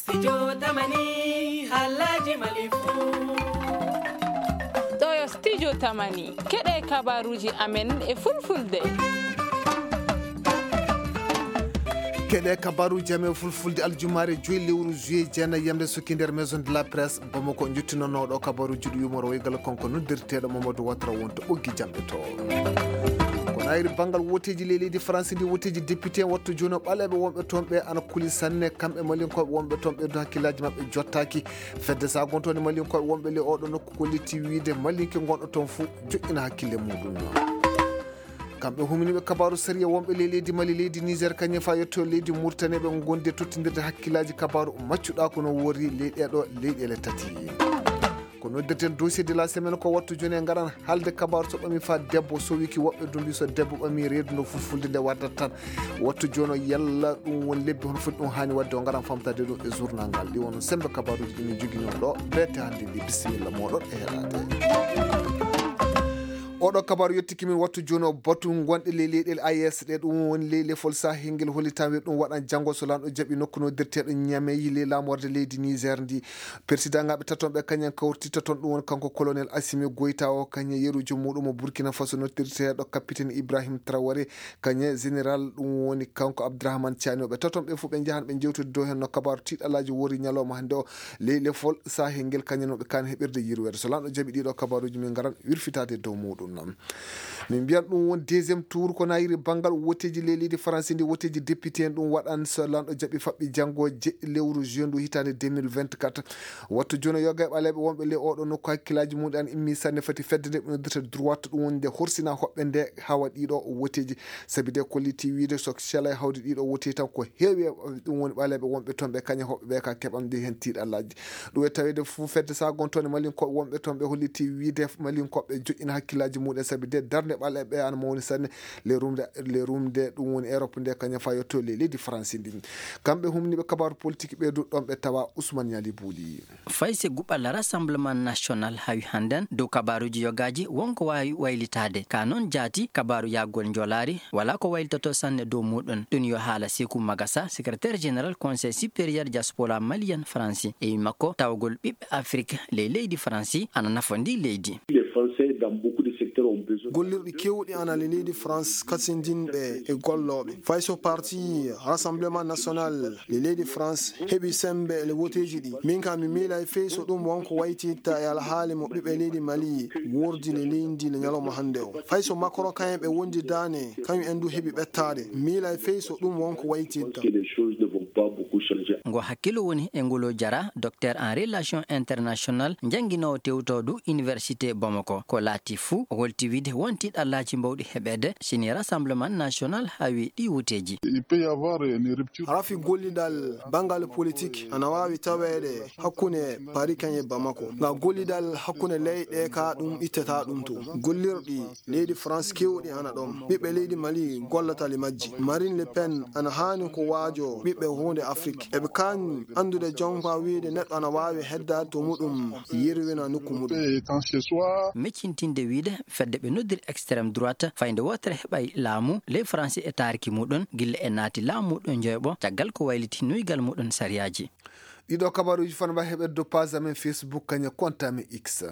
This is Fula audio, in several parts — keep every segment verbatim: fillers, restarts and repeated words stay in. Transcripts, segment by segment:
Studio Tamani, halaji Mali fu. Ɗo yo Studio Tamani, keɗe kabaruji amen e fulfulde. Keɗe kabaruji amen fulfulde aljumaare joyi lewru juillet jeenayi yamde sukki nder Maison de la Presse Bamako, jottinonooɗo kabaruji ɗi yumoro woygal konko noddirteeɗo Mamadou Ouattara wonto ɓoggi jamɗe to. Ko nayri banngal woteeji ley leydi France ndi, woteeji député en wattu jooni o ɓaleeɓe wonɓe toon ɓe ana kuli sanne, kamɓe Malinkooɓe wonɓe toon ɓe du hakkillaaji maɓɓe jottaaki. Fedde sagontoonde Malinkooɓe wonɓe ley oɗo nokku ko letti wiide Malinke gonɗo toon fuu joƴƴina hakkille muɗum. Kamɓe humniiɓe kabaaru sariya wonɓe ley leydi Mali, leydi Niger, kañum faa yetto leydi Mauritanie, ɓe ngondi e tottindirde hakkillaaji kabaaru maccuɗaa ko no woori ley ɗeeɗo leyɗeele tati. Ko noddirten dossier de la semaine, ko wattu jooni en ngaran haalde kabaaru so ɓami faa debbo sowiki, woɓɓe du mbi so debbo ɓami reedu no fulfulde nde waddata tan. Wattu jooni o yalla ɗum won lebbi hono foti ɗum haani waɗde, o ngaran famtade ɗum e journal ngal. Ɗi won sembe kabaaruuji ɗi min njogino ɗo, beete hannde ndi. Bisimilla mooɗon e heɗaade. Oɗo kabaaru yettiki min wattu jooni o batu gonɗe ley leyɗeele A E S ɗe, ɗum woni ley lefol sahel ngel hollitan we ɗum waɗan janngo so lanɗo jaɓi nokku noddirteeɗo Niamey ley laamorde leydi Niger ndi. Persidaŋaaɓe taton ɓe kañum kawriti taton, ɗum woni kanko colonel Assimi Goïta o, kañum yerujo muɗum mo Burkina Faso noddirteeɗo capitaine Ibrahim Traoré, kañum général ɗum woni kanko Abdourahmane Tiani o. Ɓe taton ɓe fof ɓe njahan ɓe njewtodi dow hen no kabaaru tiiɗalaaji wori ñalawma hannde o. Ley lefol sahel ngel kañum no ɓe kaani heɓirde yirweede. So lanɗo jaɓi ɗiɗo kabaaruuji min ngaran wirfitaade dow muɗum noon. Min mbiyan ɗum won deuxième tour ko nayiri banngal woteeji ley leydi Faransi ndi, woteeji député en ɗum waɗan so lanɗo jaɓi faɓɓi janngo je lewru juin ndu hitaande deux mille vingt-quatre. Wattu jooni yoga e ɓaleeɓe wonɓe ley oɗo nokku hakkillaaji muɗum an immi sanne fati fedde nde ɓe noddirta droite ɗum woni nde horsina hoɓɓe nde hawa ɗiɗo woteeji. Sabi de kolliti wiide so calay hawde ɗiɗo woteeji tan ko heewi e ɗum woni ɓaleeɓe wonɓe toon ɓe kañum hoɓɓe ɓe ka keɓan ndi heen tiiɗallaaji. Ɗum e taweede fof fedde sagontoonde Malinkooɓe wonɓe toon ɓe holliti wiide Malinkooɓe joƴƴina hakkillaaji muɗum sabi de darnde ɓaleeɓe ana mawni sanne. Le rumde, le rumde ɗum woni Europe nde kañum faa yetto ley leydi Faransi ndi. Kamɓe humniiɓe kabaaru politique ɓe du ɗoon ɓe tawa Ousmane Niali Bouli. Fay si guɓal Rassemblement National hawi hannden dow kabaaruuji yogaaji, won ko waawi waylitaade. Ka noon jaati, kabaaru yahgol njoolaari, walaa ko waylitoto sanne dow muuɗum. Ɗum yo haala Seeku Magasa, secrétaire général Conseil supérieur diaspora malienne Faransi. E wii makko, tawgol ɓiɓɓe Afrik ley leydi Faransi ana nafa ndi leydi. Les Français, dans beaucoup de secteurs, ont besoin. Gollirɗi keewɗi ana le leydi France kasindinɓe e gollooɓe. Fay so parti Rassemblement National le leydi France heɓi sembe e le woteeji ɗi. Min kam mi miilay fey so ɗum wonko waytitta e alhaali mo ɓiɓɓe leydi Mali wordi le leydi le ñalawma hannde o. Fay so Macron kayen ɓe wondi daane, kañum en du heɓi ɓettaade. Miilay fey so ɗum wonko waytitta. Que les choses ne vont pas beaucoup changer. Ngo hakkillo woni e ngolo jara, docteur en relation internationale, jannginoowo tewtooɗo Université Bamako. Ko laati fuu, o holti wiide won tiiɗallaaji mbawɗi heɓeede, si ni Rassemblement National hawi ɗi woteeji. Il peut y avoir une rupture. Rafi gollidal banngal politique ana waawi taweede hakkunde Paris kañum e Bamako. Nga gollidal hakkunde leyɗe ka ɗum ittata ɗum to. Gollirɗi leydi France keewɗi ana ɗon. Ɓiɓɓe leydi Mali gollata li majji. Marine Le Pen ana haani ko waajo ɓiɓɓe huunde Afrik. Eɓe kaani anndude jonka wiide neɗɗo ana waawi heddaade to muɗum, yerwina nokku muɗum. Meccintinde wiide fedde ɓe noddiri extrême droite fayde wootere heɓay laamu, ley Faransi e taariki muɗum, gilla e naati laamu muɗum joyɓo, caggal ko wayliti nuygal muɗum sariyaaji. Ɗiɗo kabaruuji fana mbawi heɓede dow page amen Facebook, kañum compte amen X.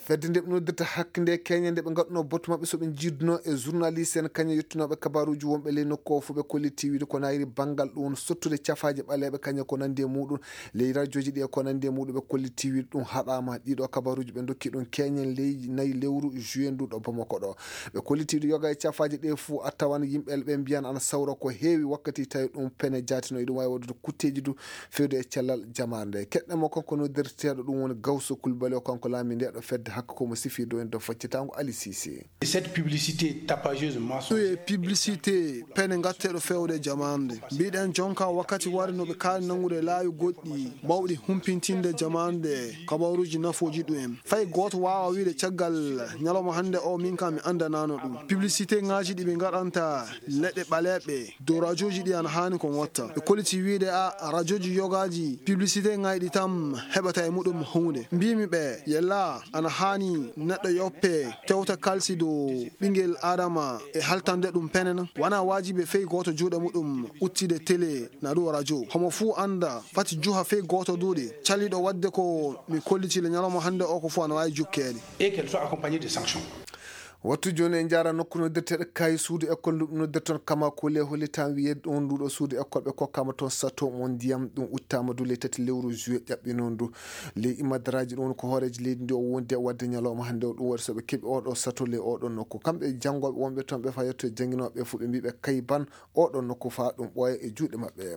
Fedde nde ɓe noddirta hakkunde keñe nde ɓe ngaɗuno batu maɓɓe so ɓe jiiduno e journaliste en kañum yettunooɓe kabaruuji wonɓe ley nokku o fof ɓe kolliti wiide ko nayri banngal ɗum woni sottude cafaaje ɓaleeɓe kañum ko nanndi e muɗum ley rajooji ɗi e ko nanndi e muɗum ɓe kolliti wiide ɗum haɗaama. Ɗiɗo kabaruuji ɓe ndokki ɗum keñen ley nayi lewru juillet ndu ɗo Bamako ɗo. Ɓe kolliti wiide yoga e cafaaje ɗe fof a tawan yimɓe ɓe mbiyan ana sawra ko heewi wakkati tawi ɗum pene jaatino eɗum waawi waɗude kutteeji du fewde e cellal jamaare nde. Keɗɗen mo kanko noddirteeɗo ɗum woni Gawso Kulbali o, kanko laami nde ɗo fedde hakko ko mo sifi dow en dow faccitaango Ali Sise. Cette publicité tapageuse mensongère. Ɗum e publicité pene ngatteeɗo fewde jamaare nde. Mbiɗen jonka wakkati wari no ɓe kaali nanngude laawi goɗɗi mawɗi humpintinde jamaare nde kabaruuji nafooji ɗum en. Fay gooto waawa wiide caggal ñalawma hannde o min kam mi anndanaano ɗum. Publicité ŋaaji ɗi ɓe ngaɗanta leɗɗe ɓaleeɓe dow rajooji ɗi ana haani ko ngotta. Ɓe kolliti wiide a rajooji yogaaji publicité ŋaaji ɗi tan heɓata e muɗum huunde. Mbimi ɓe yella ana Ani neɗɗo yoppe tewta kalsi dow ɓingel Adama e haltande ɗum penen. Wana wajibe fey gooto juuɗe muɗum uttide télé na ɗum radio. Homo fuu anda fati juha fey gooto duuɗe. Caliɗo wadde ko mi kolliti le ñalawma hannde o ko fuu ana waawi jukkeede. Et qu'elle soit accompagnée de sanctions. Wattu jooni en njaara nokku noddirteeɗo kaayi suudu école ndu noddirton kama kule holi tan wiyeede ɗon nduɗo suudu école ɓe kokkama toon sato mo ndiyam ɗum uttama du ley tati lewru juillet ƴaɓɓinoon ndu. Ley imadaraaji ɗum ko hooreejo leydi ndi o wondi e waɗde ñalawma hannde o ɗum waɗi so ɓe keɓi oɗo sato ley oɗo nokku. Kamɓe janngooɓe wonɓe toon ɓe faa yetto e jannginooɓe ɓe fof ɓe mbii ɓe kay ban oɗo nokku faa ɗum ɓooya e juuɗe maɓɓe.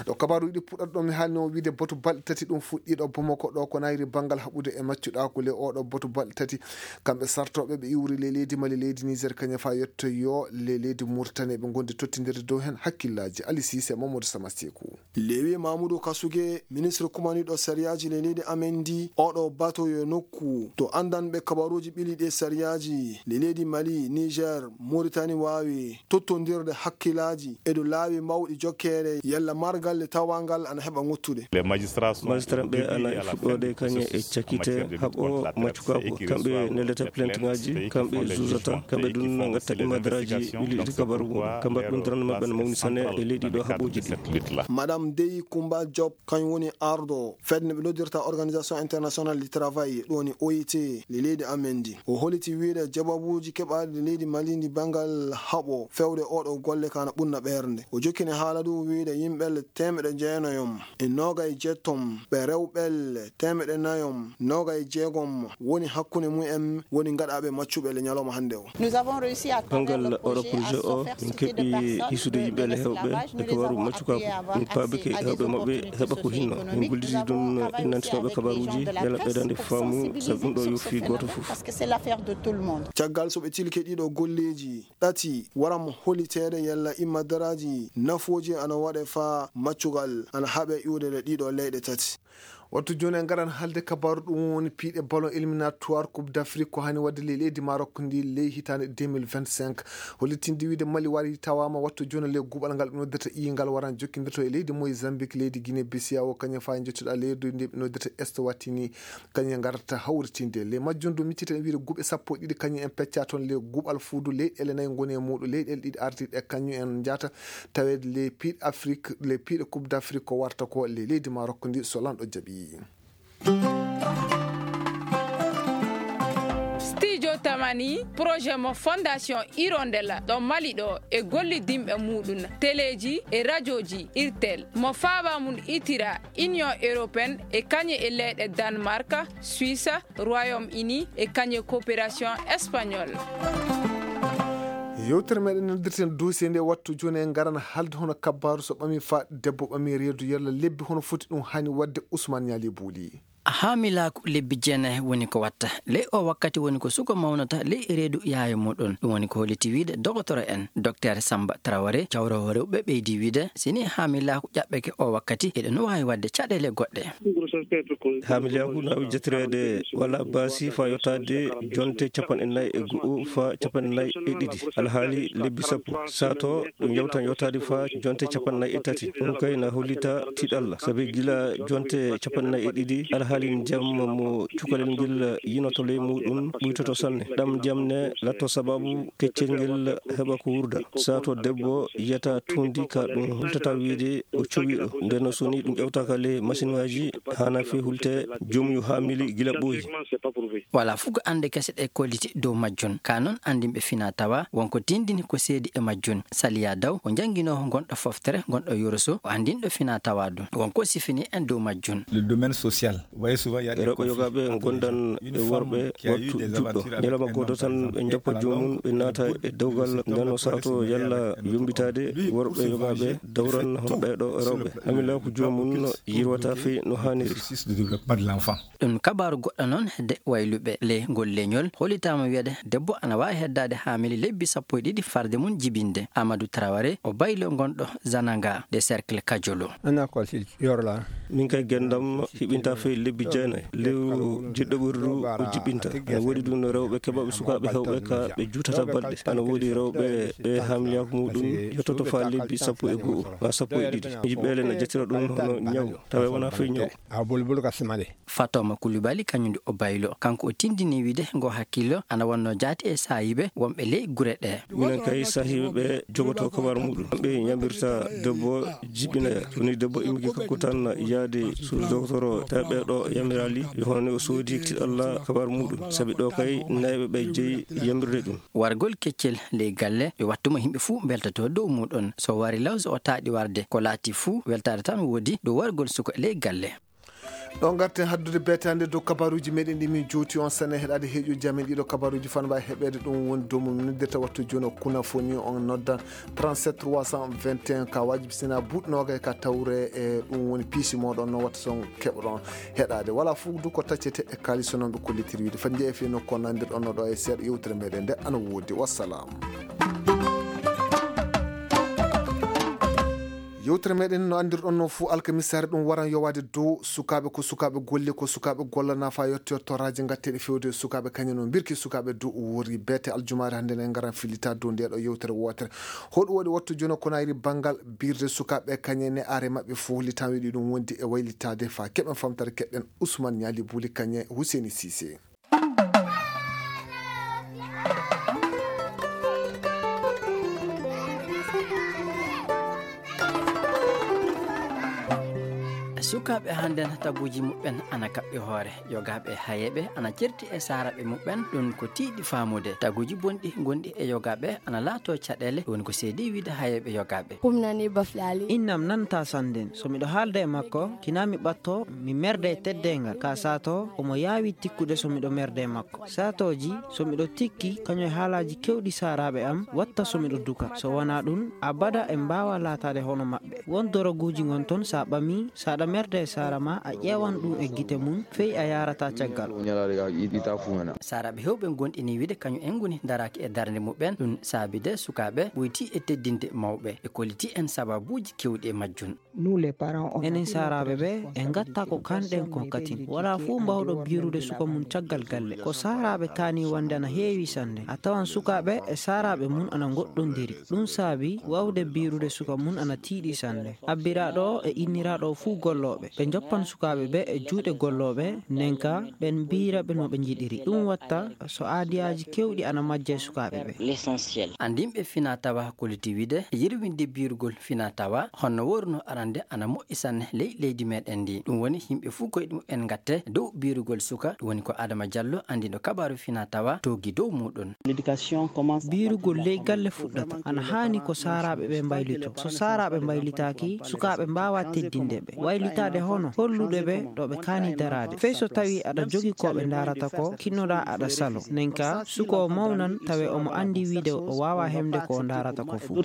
Ɗo kabaaruuji ɗi puɗɗata ɗo mi haalni on wiide batu balɗe tati ɗum fuɗɗiiɗo Bamako ɗo ko nayri banngal haɓude e maccuɗaaku ley oɗo batu balɗe tati. Kamɓe sartooɓe ɓe iwri ley leydi Mali leydi Niger kañum faa yetto yo ley leydi Mauritanie ɓe ngondi tottindirde dow heen hakkillaaji. Ali Sise, Mamadou Samaseku. Lewi Mamoudou Kasuge, ministre kumaniiɗo sariyaaji ley leydi amen ndi, oɗo bato yo nokku to anndanɓe kabaruuji ɓili ɗe sariyaaji ley leydi Mali, Niger, Mauritanie waawi tottondirde hakkillaaji e dow laawi mawɗi jokkeere yalla margal le tawangal ana heɓa ŋottude. Magistrat ɓe ana fuɗɗoode kañe e cakite haɓo maccukaaku. Kamɓe neldata plainte ŋaaji, kamɓe juusata, kamɓe ɗum ngatta imadaraaji ɓili ɗi kabaru mum. Kamɓe ɗum darande maɓɓe no mawni sanne e leydi ɗo haɓooji ɗi. Madame Dey Kumba Diop, kañum woni arɗo fedde nde ɓe noddirta Organisation Internationale du Travail, ɗum woni O I T, ley leydi amen ndi. O holiti wiide jababuuji keɓaaɗi leydi Mali ndi banngal haɓo fewde oɗo golle ka na ɓunna ɓernde. O jokkini haala ɗum wiide yimɓe le teemeɗe jeenayom e noogay jettom ɓe rewɓe le teemeɗe nayom noogay jeegom woni hakkunde mum en woni ngaɗaaɓe maccuɓe le ñalawma hannde o. Nous avons réussi à travers le Banngal oɗo projet projet o, en keɓi hisude yimɓe le hewɓe e kabaru maccukaaku. Min paabike hewɓe maɓɓe heɓa ko hinno. Min golliti ɗum e nantinooɓe kabaruuji, yalla ɓeydande faamu, sabu ɗum ɗo yofi gooto fof. Parce que c'est l'affaire de tout le monde. Caggal so ɓe tilke ɗiɗo golleeji ɗati, waram holiteede yalla imadaraaji nafooji ana waɗe faa maccugal ana haɓe iwde ɗe ɗiɗo leyɗe tati. Wattu jooni en ngaran haalde kabaaru ɗum woni piiɗe ballon éliminatoire Coupe d'Afrique ko hani waɗde ley leydi Maroc ndi ley hitaande deux mille vingt-cinq. Hollitinde wiide Mali wari tawaama wattu jooni ley guɓal ngal ɓe noddata iyingal waran jokkindirto e leydi Mozambique, leydi Guinée Bissau, kañum faa e njottuɗa leydi ndi ɓe noddata Eswatini, kañum ngarata hawritinde. Ley majjum du micciten wiide guɓe sappo e ɗiɗi kañum en pecca toon ley guɓal fuudu leyɗeele nayi ngoni e muuɗum. Leyɗeele ɗiɗi ardiiɗe kañum en njahata taweede ley piiɗe Afrique, ley piiɗe Coupe d'Afrique ko warta ko ley leydi Maroc ndi so lanɗo jaɓi. Studio Tamani, projet mo Fondation Hirondella ɗo Mali ɗo e gollidinɓe muɗum, teleeji e rajooji Irtel, mo faaba mum itira Union Européenne e kañum e leyɗe Danemark, Suisse, Royaume-Uni e kañum e coopération espagnole. Yewtere meɗen noddirten dossier nde wattu jooni en ngaran haalde hono kabbaaru so ɓami faa debbo ɓami reedu yalla lebbi hono foti ɗum hani waɗde Ousmane Niali Bouli. Haamilaaku lebbi jeenayi woni ko watta. Ley o wakkati woni ko suko mawnata ley reedu yaayo muɗum. Ɗum woni ko holliti wiide dogotoro en, Docteur Samba Traoré, cawroowo rewɓe ɓeydi wiide, si ni haamilaaku ƴaɓɓeke o wakkati, eɗen waawi waɗde caɗeele goɗɗe. Haamilaaku na waawi jatireede walla baasi faa yottaade jonte capanɗe nayi e go'o faa capanɗe nayi e ɗiɗi. Alhaali lebbi sappo. Sato ɗum yewtan yottaade faa jonte capanɗe nayi e tati. Ɗum kay na hollita tiiɗalla. Sabi gila jonte capanɗe nayi e ɗiɗi, alhaali ndiyam mo cukalel ngel yinoto ley muɗum ɓuytoto sanne. Ɗam ndiyam ne latto sababu keccel ngel heɓa ko wurda. Sato debbo yiyata tuundi ka ɗum hultata wiide o cowiiɗo. Nden no so ni ɗum ƴewtaaka ley masiŋaaji, haana fii hulte joomum yo haamili gila ɓooyi. Walaa fuu ko annde kese ɗe kolliti dow majjum. Ka non anndinɓe finaa tawa wonko tindini ko seedi e majjum. Saliya Daw, o jannginoowo gonɗo foftere, gonɗo Yoroso, o anndinɗo finaa tawa ɗum. Wonko sifini en dow majjum. Le domaine social. Rewɓe yogaaɓe ngondan e worɓe wattu juɗɗo. Ñalawma gooto tan ɓe njoppa joomum, ɓe naata e dewgal, nden no sato yalla yombitaade worɓe yogaaɓe dawran hono ɓeeɗo rewɓe. Haamilaaku joomum no yirwata fii no haaniri. Ɗum kabaaru goɗɗo noon hedde wayluɓe. Ley ngol leñol, hollitaama wiyeede debbo ana waawi heddaade haamili lebbi sappo e ɗiɗi farde mum jibinde. Amadou Traoré, o baylo gonɗo Zananga de Cercle Kajolo. Min kay ngenndam hiɓinta fii Bijjana lewru jiɗɗo ɓuri du o jiɓɓinta. Ana woodi ɗum no rewɓe keɓaɓe sukaaɓe hewɓe ka ɓe juutata balɗe. Ana woodi rewɓe ɓe hamliyaaku muɗum yottoto faa lebbi sappo e go'o maa sappo e ɗiɗi. Yiɓɓeele na jettira ɗum hono ñaw, tawa wonaa fey ñaw. Fatoma Kulibali kañum o baylo, kanko o tindini wiide ngo hakkillo ana wonno jaati e saayiiɓe wonɓe ley gure ɗe. Minen kay saahiiɓe ɓe jogoto kabar muɗum, ɓe ñambirta debbo jiɓinoya. Woni debbo immiki kanko tan yaade suudu dogotoro, tawi ɓe ɗo yamiraali yo hono o soodi tiɗalla kabar muɗum, sabi ɗo kay nayɓe ɓe jeyi yamirde ɗum. Wargol keccel ley galle yo wattumo yimɓe fuu mbeltoto dow muɗum. So wari law so o taaɗi warde, ko laati fuu weltaade tan woodi dow wargol suka ley galle. Ɗo ngarten haddude beetaande dow kabaruuji meɗen ɗi min jooti on sene heɗaade heeƴo jamin ɗiɗo kabaruuji fanba heɓeede ɗum woni dow mo min noddirta wattu jooni o kuna foni on noddan trente-sept trois cent vingt et un ka wajibi sina buuɗ noogay ka tawre e ɗum woni piisi moɗon no watta son keɓoɗon heɗaade wala fof du ko taccete e kaalis so noon ɓe kollitiri wiide fati jeeya fii nokku on nandirɗon no ɗo e seeɗa yewtere meɗen nde ana woodi wassalam. Yewtere meɗen no anndirɗon noon fuu alkamisaare ɗum waran yowaade dow sukaaɓe ko sukaaɓe golle ko sukaaɓe golla nafa yetto yettoraaji ngatteeɗe fewde sukaaɓe kañum no mbirki sukaaɓe dow wori beete aljumaare hannde ne ngaran fillita dow ndeɗo yewtere wootere. Hoɗum waɗi wattu jono konayri banngal birde sukaaɓe kañum ne are maɓɓe fof litan wiɗi ɗum wondi e waylitaade fa keɓen famtare keɗɗen Ousmane Ñaali Buli kañum Huseni Sise. Sukaaɓe hannden taguuji muɓɓen ana kaɓɓi hoore. Yogaaɓe hayeeɓe ana certi e saaraaɓe muɓɓen. Ɗum ko tiiɗi faamude. Taguuji bonɗi gonɗi e yogaaɓe ana laatoo caɗeele. Ɗum ko seedi wiide hayeeɓe yogaaɓe. Innam nantaa sannden. So miɗo haalda e makko, kinaa mi ɓattoo, mi merda e teddeengal. Ka saatoo, omo yaawi tikkude so miɗo merda e makko. Saatooji, so miɗo tikki, kañum e haalaaji keewɗi saaraaɓe am, watta so miɗo duka. So wanaa ɗum, abada en mbaawaa laataade hono maɓɓe. Won doroguuji ngon ton, so a ɓamii, so aɗa merda e saara maa, a ƴeewan ɗum e gite mum, fey a yaarataa caggal. Saaraaɓe heewɓe ngonɗinii wiide kañum en ngoni daraaki e darnde muɓɓen, ɗum saabii de sukaaɓe ɓoytii e teddinde mawɓe, e kollitii en sabaabuuji keewɗi e majjum. Enen saaraaɓe ɓe, en ngattaa ko kaanɗen kon katin. Walaa fuu mbaawɗo biirude suka mum caggal galle. Ko saaraaɓe kaanii wonde ana heewi sanne. A tawan sukaaɓe e saaraaɓe mum ana ngoɗɗondiri. Ɗum saabii waawde biirude suka mum ana tiiɗi sanne. Abbiraaɗo o e inniraaɗo o fuu gollooɓe. Ɓe njoppan sukaaɓe ɓe e juuɗe gollooɓe, nden ka ɓen mbiira ɓe no ɓe njiɗiri. Ɗum watta so aadiyaaji keewɗi ana majja e sukaaɓe ɓe. Anndinɓe finaa tawa kolliti wiide yirwinde biirugol finaa tawa honno wooruno arande ana moƴƴi sanne ley leydi meɗen ndi. Ɗum woni yimɓe fuu koyɗe muɓɓen ngatte dow biirugol suka. Ɗum woni ko Adama Jallo, anndiiɗo kabaaru finaa tawa, toogi dow muuɗum. Biirugol ley galle fuɗɗata. Ana haani ko saaraaɓe ɓe mbaylitoo. So saaraaɓe mbaylitaaki, sukaaɓe mbaawaa teddinde ɓe. Waylitaade hono hollude ɓe ɗo ɓe kaani daraade. Fey so tawii aɗa jogii ko ɓe ndaarata ko, kinnoɗaa aɗa saloo. Nden ka, suka o mawnan, tawe omo anndi wiide o waawaa heɓde ko o ndaarata ko fuu.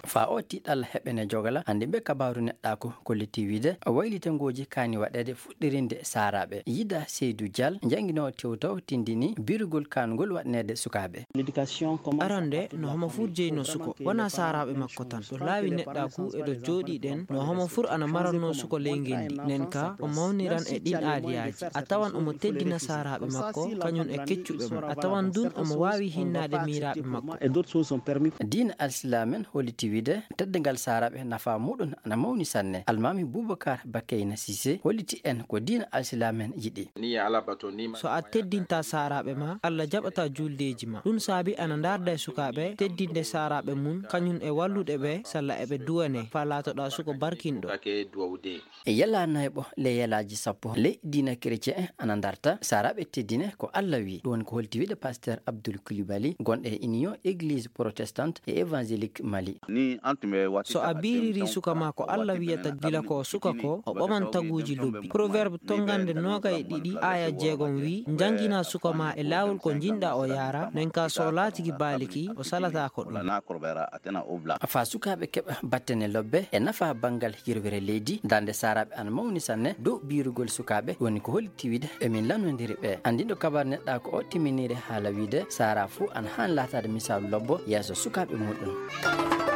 Faa oo tiiɗalla heɓene jogala, anndinɓe kabaaru neɗɗaaku kolliti wiide waylitangooji kaani waɗeede fuɗɗirinde saaraaɓe. Yida Seydu Jal, jannginoowo tewtaw, tindini biirugol kaanugol waɗaneede sukaaɓe. Arande, no homo fuu jeynoo suka, wanaa saaraaɓe makko tan. Ɗo laawi neɗɗaaku e ɗo jooɗiiɗen, no homo fuu ana marannoo suka ley ngenndi. Nden ka, o mawniran e ɗin aadiyaaji. A tawan omo teddina saaraaɓe makko, kañum e keccuɓe mo. A tawan dun omo waawi hinnaade miiraaɓe makko. Diina Alsilaamen holliti wiide teddungal saaraaɓe nafaa muuɗum ana mawni sanne. Almaami Bubakar Bakeyna Sise holliti en ko diina Alsilaamen yiɗi. So a teddintaa saaraaɓe maa, Alla jaɓataa juldeeji maa. Ɗum saabi ana ndaarda e sukaaɓe teddinde saaraaɓe mum, kañum e wallude ɓe salla eɓe duwanee, faa laatoɗaa suka barkinɗo. E yela nayɓo ley yelaaji sappo ley diina kerecen ana ndarta, saaraaɓe teddine ko Alla wi'i. Ɗum woni ko holti wiide Pasteur Abdul Kulibali, gonɗo e Union Église Protestante et Évangélique Mali. So a biiririi suka maa ko Alla wi'ata gila ko suka ko, o ɓaman taguuji lobbi. Proverbe tongannde noogay e ɗiɗi, aaya jeegom wi'i, njannginaa suka maa e laawol ko njiɗɗaa o yaara, nden ka so o laatike baaliki, o salataa ko ɗum. Faa sukaaɓe keɓa battane lobbe e nafa banngal yirwere leydi, darnde saaraaɓe ana mawni sanne dow biirugol sukaaɓe, woni ko holti wiide emin lanndondiri ɓe. Anndiiɗo kabaru neɗɗaaku o timminiire haala wiide saaraa fuu ana haani laataade misaalu lobbo yeeso sukaaɓe muuɗum.